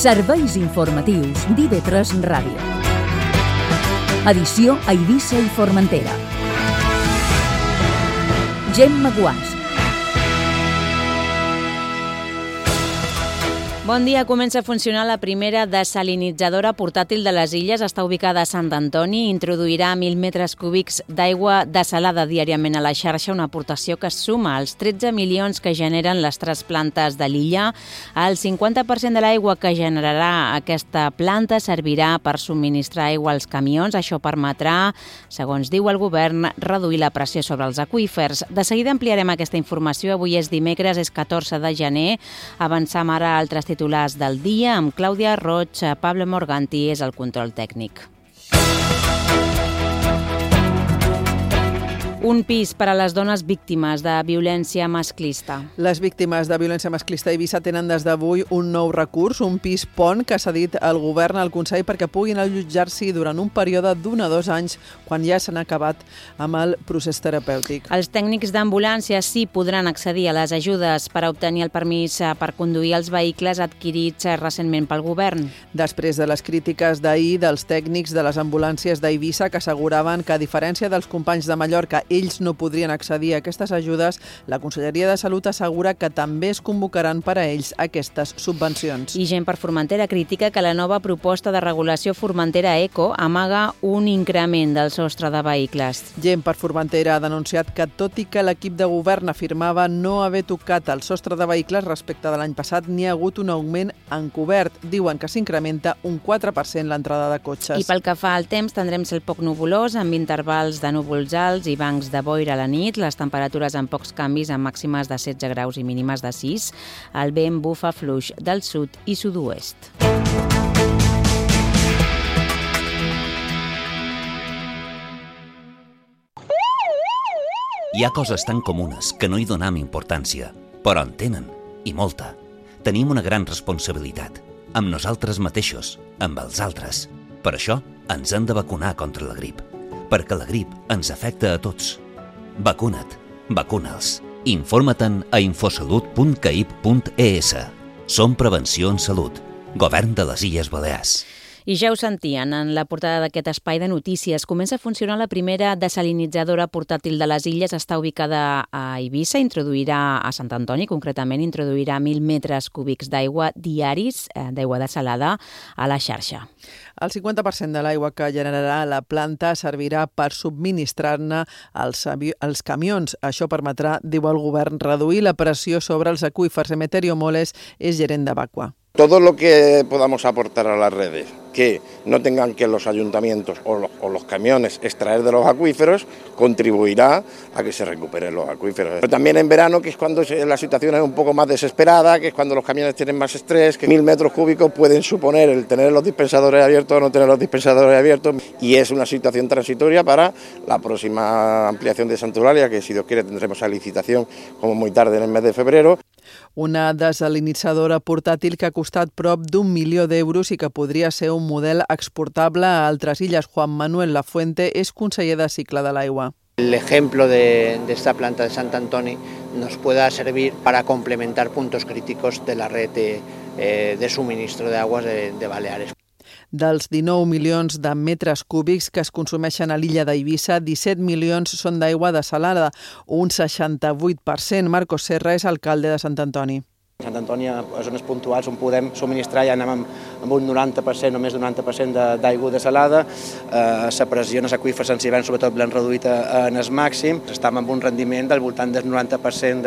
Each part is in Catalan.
Serveis informatius d'IV3 Ràdio. Edició a Eivissa i Formentera. Gemma Guàs. Bon dia, comença a funcionar la primera desalinitzadora portàtil de les Illes. Està ubicada a Sant Antoni i introduirà 1.000 metres cúbics d'aigua desalada diàriament a la xarxa, una aportació que es suma als 13 milions que generen les tres plantes de l'illa. El 50% de l'aigua que generarà aquesta planta servirà per subministrar aigua als camions. Això permetrà, segons diu el govern, reduir la pressió sobre els aqüífers. De seguida ampliarem aquesta informació. Avui és dimecres, és 14 de gener. Avançam ara a altres titulars del dia amb Clàudia Roig. Pablo Morganti és el control tècnic. Un pis per a les dones víctimes de violència masclista. Les víctimes de violència masclista a Eivissa tenen des d'avui un nou recurs, un pis pont que s'ha dit al govern al Consell perquè puguin allotjar-s'hi durant un període d'1 a 2 anys quan ja s'han acabat amb el procés terapèutic. Els tècnics d'ambulància sí podran accedir a les ajudes per a obtenir el permís per conduir els vehicles adquirits recentment pel govern. Després de les crítiques d'ahir dels tècnics de les ambulàncies d'Eivissa que asseguraven que, a diferència dels companys de Mallorca, ells no podrien accedir a aquestes ajudes, la Conselleria de Salut assegura que també es convocaran per a ells aquestes subvencions. I Gent per Formentera critica que la nova proposta de regulació Formentera Eco amaga un increment del sostre de vehicles. Gent per Formentera ha denunciat que, tot i que l'equip de govern afirmava no haver tocat el sostre de vehicles respecte de l'any passat, n'hi ha hagut un augment encobert. Diuen que s'incrementa un 4% l'entrada de cotxes. I pel que fa al temps, tindrem cel poc nuvolós, amb intervals de núvols alts i bancs de boira a la nit, les temperatures amb pocs canvis, amb màximes de 16 graus i mínimes de 6. El vent bufa fluix del sud i sud-oest. Hi ha coses tan comunes que no hi donem importància, però en tenen, i molta. Tenim una gran responsabilitat, amb nosaltres mateixos, amb els altres. Per això ens hem de vacunar contra la grip, perquè la grip ens afecta a tots. Vacuna't, vacuna'ls. Informa-te'n a infosalut.caip.es. Som Prevenció en Salut. Govern de les Illes Balears. I ja ho sentien, en la portada d'aquest espai de notícies. Comença a funcionar la primera desalinitzadora portàtil de les Illes. Està ubicada a Eivissa, introduirà a Sant Antoni, concretament introduirà 1.000 metres cúbics d'aigua diaris, d'aigua desalada, a la xarxa. El 50% de l'aigua que generarà la planta servirà per subministrar-ne als camions. Això permetrà, diu el govern, reduir la pressió sobre els aqüífers. Emeterio Moles és gerent de Vacua. Todo lo que podamos aportar a las redes, que no tengan que los ayuntamientos o los camiones extraer de los acuíferos, contribuirá a que se recuperen los acuíferos. Pero también en verano, que es cuando la situación es un poco más desesperada, que es cuando los camiones tienen más estrés, que 1.000 metros cúbicos pueden suponer el tener los dispensadores abiertos o no tener los dispensadores abiertos, y es una situación transitoria para la próxima ampliación de Santa Eulàlia, que si Dios quiere tendremos a licitación como muy tarde en el mes de febrero. Una desalinitzadora portàtil que ha costat prop d'1 milió d'euros i que podria ser un model exportable a altres illes. Juan Manuel Lafuente és conseller de cicle de l'aigua. El ejemplo de esta planta de Sant Antoni nos pueda servir para complementar puntos críticos de la red de suministro de aguas de Baleares. Dels 19 milions de metres cúbics que es consumeixen a l'illa d'Eivissa, 17 milions són d'aigua desalada, un 68%. Marcos Serra és alcalde de Sant Antoni. Sant Antoni, a zones puntuals on podem subministrar, ja anem amb un 90% o més d'un 90% d'aigua desalada. La pressió en els aqüífers en hivern sobretot l'han reduït en el màxim. Estem amb un rendiment del voltant del 90%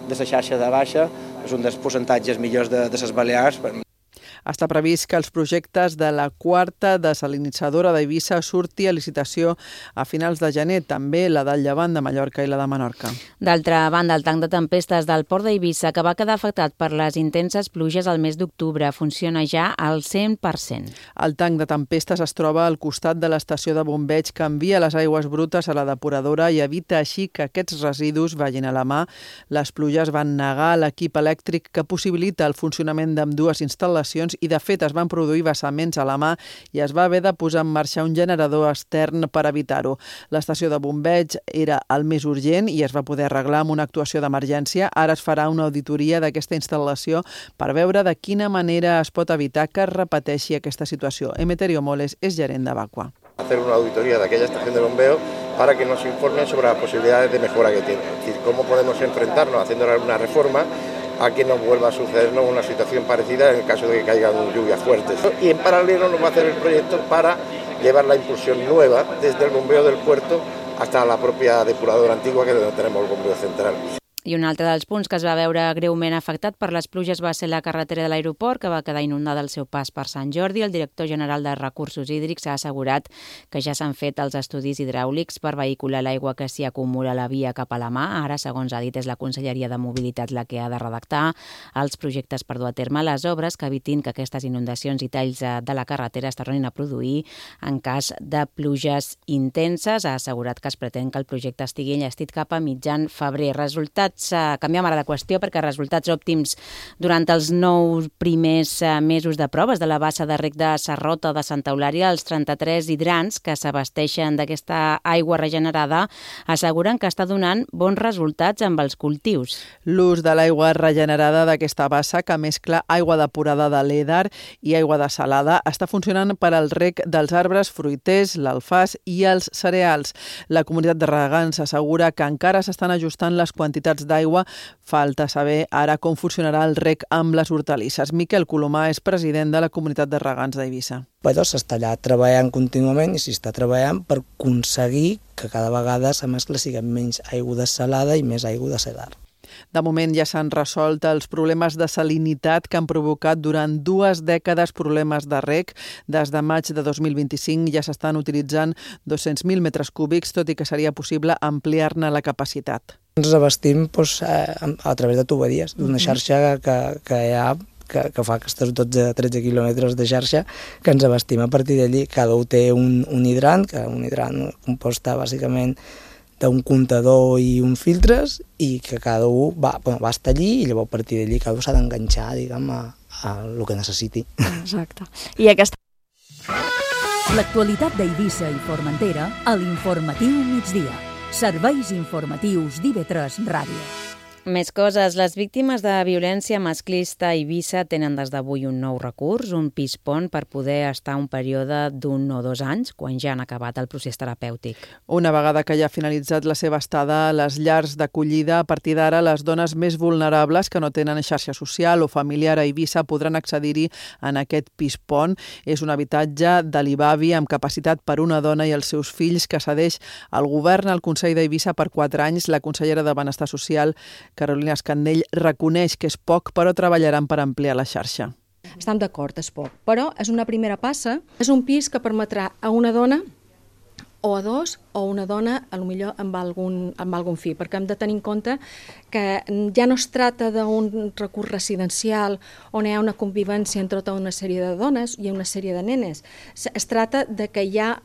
de la xarxa de baixa. És un dels percentatges millors de les Balears. Està previst que els projectes de la quarta desalinitzadora d'Eivissa surti a licitació a finals de gener, també la del Llevant de Mallorca i la de Menorca. D'altra banda, el tanc de tempestes del port d'Eivissa, que va quedar afectat per les intenses pluges al mes d'octubre, funciona ja al 100%. El tanc de tempestes es troba al costat de l'estació de bombeig que envia les aigües brutes a la depuradora i evita així que aquests residus vagin a la mà. Les pluges van negar l'equip elèctric que possibilita el funcionament d'ambdues instal·lacions condicions i, de fet, es van produir vessaments a la mà i es va haver de posar en marxa un generador extern per evitar-ho. L'estació de bombeig era el més urgent i es va poder arreglar amb una actuació d'emergència. Ara es farà una auditoria d'aquesta instal·lació per veure de quina manera es pot evitar que es repeteixi aquesta situació. Emeterio Moles és gerent de Vacua. Hacer una auditoría de aquella estación de bombeo para que nos informen sobre las posibilidades de mejora que tiene. Es decir, cómo podemos enfrentarnos haciendo alguna reforma a que nos vuelva a sucedernos una situación parecida en el caso de que caigan lluvias fuertes. Y en paralelo nos va a hacer el proyecto para llevar la impulsión nueva desde el bombeo del puerto hasta la propia depuradora antigua, que es donde tenemos el bombeo central. I un altre dels punts que es va veure greument afectat per les pluges va ser la carretera de l'aeroport, que va quedar inundada al seu pas per Sant Jordi. El director general de Recursos Hídrics ha assegurat que ja s'han fet els estudis hidràulics per vehicular l'aigua que s'hi acumula a la via cap a la mà. Ara, segons ha dit, és la Conselleria de Mobilitat la que ha de redactar els projectes per dur a terme les obres que evitin que aquestes inundacions i talls de la carretera es tornin a produir en cas de pluges intenses. Ha assegurat que es pretén que el projecte estigui enllestit cap a mitjan febrer. Canviem ara de qüestió perquè resultats òptims durant els 9 primers mesos de proves de la bassa de reg de Sarrota de Santa Eulària, els 33 hidrants que s'abasteixen d'aquesta aigua regenerada asseguren que està donant bons resultats amb els cultius. L'ús de l'aigua regenerada d'aquesta bassa, que mescla aigua depurada de l'Eder i aigua desalada, està funcionant per al reg dels arbres fruiters, l'alfàs i els cereals. La comunitat de regants assegura que encara s'estan ajustant les quantitats d'aigua. Falta saber ara com funcionarà el reg amb les hortalisses. Miquel Colomà és president de la comunitat de regants d'Eivissa. Però s'està allà treballant contínuament i s'està treballant per aconseguir que cada vegada la mescla sigui menys aigua desalada i més aigua de cedar. De moment ja s'han resolt els problemes de salinitat que han provocat durant 2 dècades problemes de reg. Des de maig de 2025 ja s'estan utilitzant 200.000 metres cúbics, tot i que seria possible ampliar-ne la capacitat. Ens abastim a través de tuberies, d'una xarxa que hi ha que fa aquests 12-13 quilòmetres de xarxa, que ens abastim a partir d'allí. Cada un té un hidrant, que un hidrant composta bàsicament d'un comptador i uns filtres, i que cada un va estar allí i llavors a partir d'allí cada un s'ha d'enganxar, diguem, a el que necessiti. Exacte. I aquesta... L'actualitat d'Eivissa i Formentera a l'Informatiu Migdia. Serveis informatius d'IV3 Ràdio. Més coses. Les víctimes de violència masclista a Eivissa tenen des d'avui un nou recurs, un PIS-PON, per poder estar un període d'1 o 2 anys, quan ja han acabat el procés terapèutic. Una vegada que ja ha finalitzat la seva estada a les llars d'acollida, a partir d'ara les dones més vulnerables que no tenen xarxa social o familiar a Eivissa podran accedir-hi en aquest PIS-PON. És un habitatge de l'IBAVI amb capacitat per una dona i els seus fills que cedeix al govern al Consell d'Eivissa per 4 anys. La consellera de Benestar Social, Carolina Escandell, reconeix que és poc, però treballaran per ampliar la xarxa. Estem d'acord, és poc, però és una primera passa. És un pis que permetrà a una dona o a 2 o una dona, potser amb algun fill, perquè hem de tenir en compte que ja no es tracta d'un recurs residencial on hi ha una convivència entre tota una sèrie de dones i una sèrie de nenes. Es tracta de que hi ha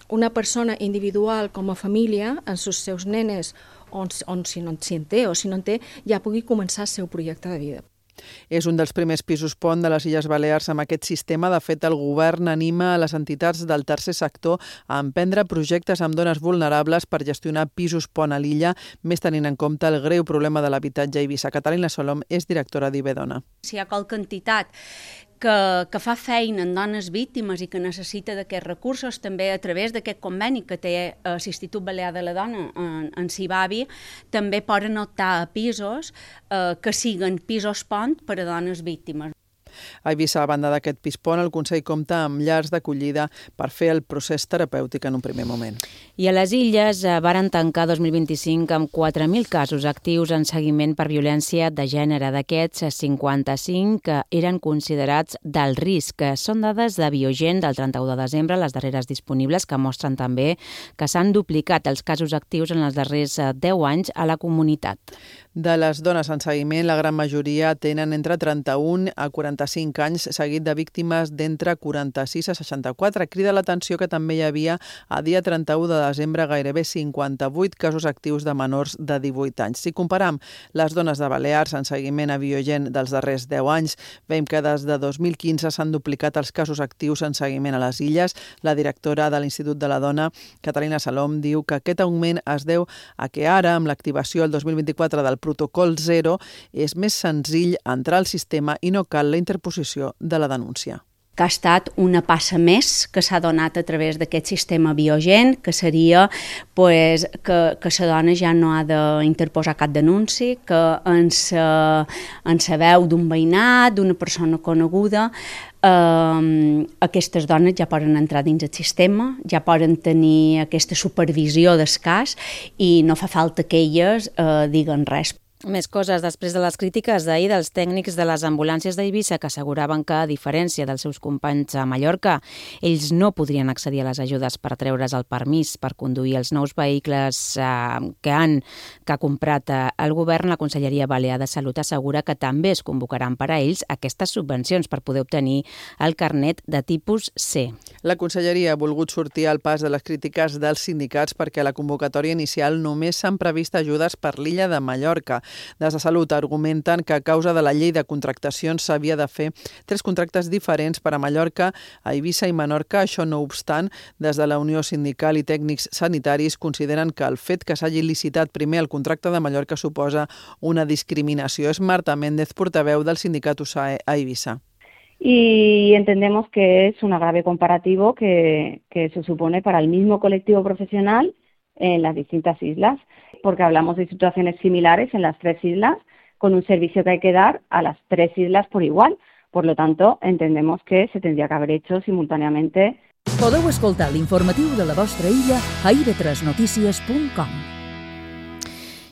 una persona individual com a família amb els seus nenes on si no en té o si no en té, ja pugui començar el seu projecte de vida. És un dels primers pisos PON de les Illes Balears amb aquest sistema. De fet, el govern anima a les entitats del tercer sector a emprendre projectes amb dones vulnerables per gestionar pisos PON a l'illa, més tenint en compte el greu problema de l'habitatge a Eivissa. Catalina Solom és directora d'IBDona. Si hi ha qualque entitat que fa feina en dones víctimes i que necessita d'aquests recursos, també a través d'aquest conveni que té l'Institut Balear de la Dona en CIBAVI, també poden optar a pisos que siguin pisos PON per a dones víctimes. A Eivissa, a banda d'aquest PIS-PON, el Consell compta amb llars d'acollida per fer el procés terapèutic en un primer moment. I a les Illes varen tancar 2025 amb 4.000 casos actius en seguiment per violència de gènere. D'aquests, 55 que eren considerats d'alt risc. Són dades de Biogen del 31 de desembre, les darreres disponibles, que mostren també que s'han duplicat els casos actius en els darrers 10 anys a la comunitat. De les dones en seguiment, la gran majoria tenen entre 31 a 45 anys, seguit de víctimes d'entre 46 a 64. Crida l'atenció que també hi havia a dia 31 de desembre gairebé 58 casos actius de menors de 18 anys. Si comparam les dones de Balears en seguiment a Biogen dels darrers 10 anys, veiem que des de 2015 s'han duplicat els casos actius en seguiment a les illes. La directora de l'Institut de la Dona, Catalina Salom, diu que aquest augment es deu a que ara, amb l'activació el 2024 del protocol 0, és més senzill entrar al sistema i no cal la interposició de la denúncia. Que ha estat una passa més que s'ha donat a través d'aquest sistema Biogen, que seria que la dona ja no ha d'interposar cap denunci, que en sa veu d'un veïnat, d'una persona coneguda, aquestes dones ja poden entrar dins el sistema, ja poden tenir aquesta supervisió del cas i no fa falta que elles diguen res. Més coses. Després de les crítiques d'ahir dels tècnics de les ambulàncies d'Eivissa que asseguraven que, a diferència dels seus companys a Mallorca, ells no podrien accedir a les ajudes per treure's el permís per conduir els nous vehicles que ha comprat el govern, la Conselleria Balear de Salut assegura que també es convocaran per a ells aquestes subvencions per poder obtenir el carnet de tipus C. La Conselleria ha volgut sortir al pas de les crítiques dels sindicats perquè a la convocatòria inicial només s'han previst ajudes per l'illa de Mallorca. Des de Salut argumenten que a causa de la llei de contractacions s'havia de fer 3 contractes diferents per a Mallorca, a Eivissa i Menorca. Això no obstant, des de la Unió Sindical i Tècnics Sanitaris consideren que el fet que s'hagi licitat primer el contracte de Mallorca suposa una discriminació. És Marta Méndez, portaveu del sindicat USAE a Eivissa. Y entendemos que es un agravio comparativo que se supone para el mismo colectivo profesional en las distintas islas, porque hablamos de situaciones similares en las 3 islas, con un servicio que hay que dar a las 3 islas por igual. Por lo tanto, entendemos que se tendría que haber hecho simultáneamente. Podeu escoltar l'informatiu de la vostra illa a ib3notícies.com.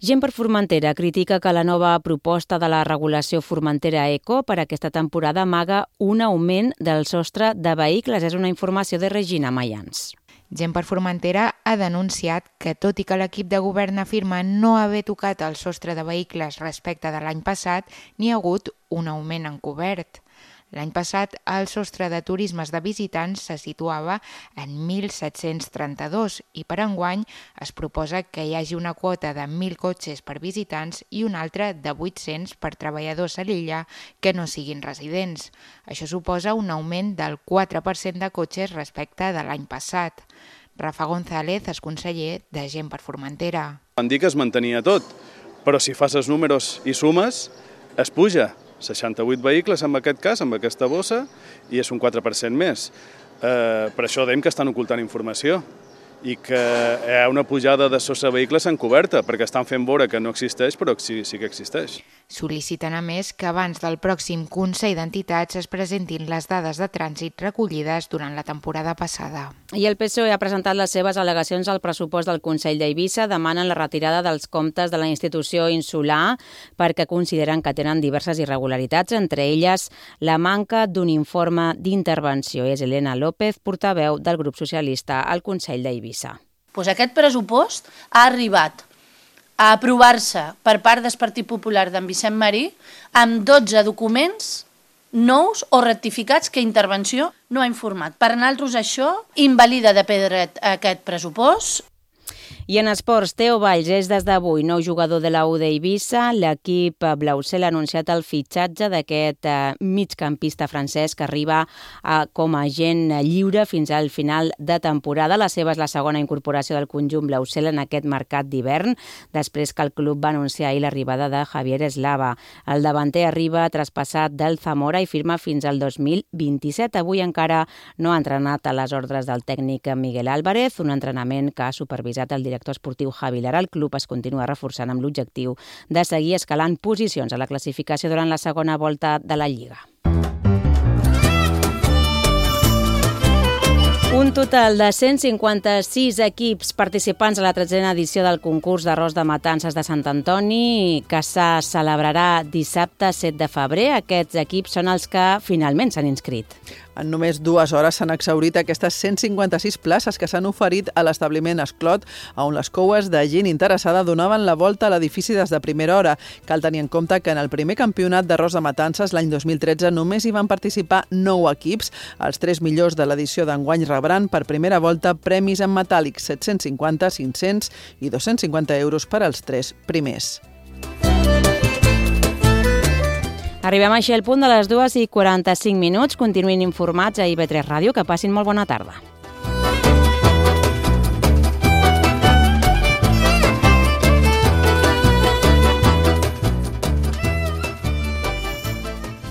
Gent per Formentera critica que la nova proposta de la regulació Formentera Eco per aquesta temporada amaga un augment del sostre de vehicles. És una informació de Regina Mayans. Gent per Formentera ha denunciat que, tot i que l'equip de govern afirma no haver tocat el sostre de vehicles respecte de l'any passat, n'hi ha hagut un augment encobert. L'any passat, el sostre de turismes de visitants se situava en 1.732 i per enguany es proposa que hi hagi una quota de 1.000 cotxes per visitants i una altra de 800 per treballadors a l'illa que no siguin residents. Això suposa un augment del 4% de cotxes respecte de l'any passat. Rafa González és conseller de Gent per Formentera. Van dir que es mantenia tot, però si fas els números i sumes, es puja. 68 vehicles en aquest cas, amb aquesta bossa, i és un 4% més. Per això dèiem que estan ocultant informació i que hi ha una pujada de sostre de vehicles encoberta, perquè estan fent veure que no existeix, però sí que existeix. Sol·liciten a més que abans del pròxim Consell d'Entitats es presentin les dades de trànsit recollides durant la temporada passada. I el PSOE ha presentat les seves al·legacions al pressupost del Consell d'Eivissa. Demanen la retirada dels comptes de la institució insular perquè consideren que tenen diverses irregularitats, entre elles la manca d'un informe d'intervenció. És Elena López, portaveu del grup socialista al Consell d'Eivissa. Aquest pressupost ha arribat a aprovar-se per part del Partit Popular d'en Vicent Marí amb 12 documents nous o rectificats que Intervenció no ha informat. Per nosaltres això invalida de pedret aquest pressupost. I en esports, Teo Valls és des d'avui nou jugador de la U d'Eivissa. L'equip blaucel ha anunciat el fitxatge d'aquest migcampista francès que arriba com a agent lliure fins al final de temporada. La seva és la segona incorporació del conjunt blaucel en aquest mercat d'hivern, després que el club va anunciar ahir l'arribada de Javier Eslava. El davanter arriba traspassat del Zamora i firma fins al 2027. Avui encara no ha entrenat a les ordres del tècnic Miguel Álvarez, un entrenament que ha supervisat el director esportiu Javi Lara. El club es continua reforçant amb l'objectiu de seguir escalant posicions a la classificació durant la segona volta de la Lliga. Un total de 156 equips participants a la 13a edició del concurs d'arròs de matances de Sant Antoni, que se celebrarà dissabte 7 de febrer. Aquests equips són els que finalment s'han inscrit. En només 2 hores s'han exhaurit aquestes 156 places que s'han oferit a l'establiment Esclot, on les coues de gent interessada donaven la volta a l'edifici des de primera hora. Cal tenir en compte que en el primer campionat d'arròs de matances l'any 2013 només hi van participar 9 equips. Els 3 millors de l'edició d'enguany rebran per primera volta premis en metàl·lic, 750, 500 i 250 euros per als 3 primers. Arribem així al punt de les 2:45. Continuïn informats a IB3 Ràdio. Que passin molt bona tarda.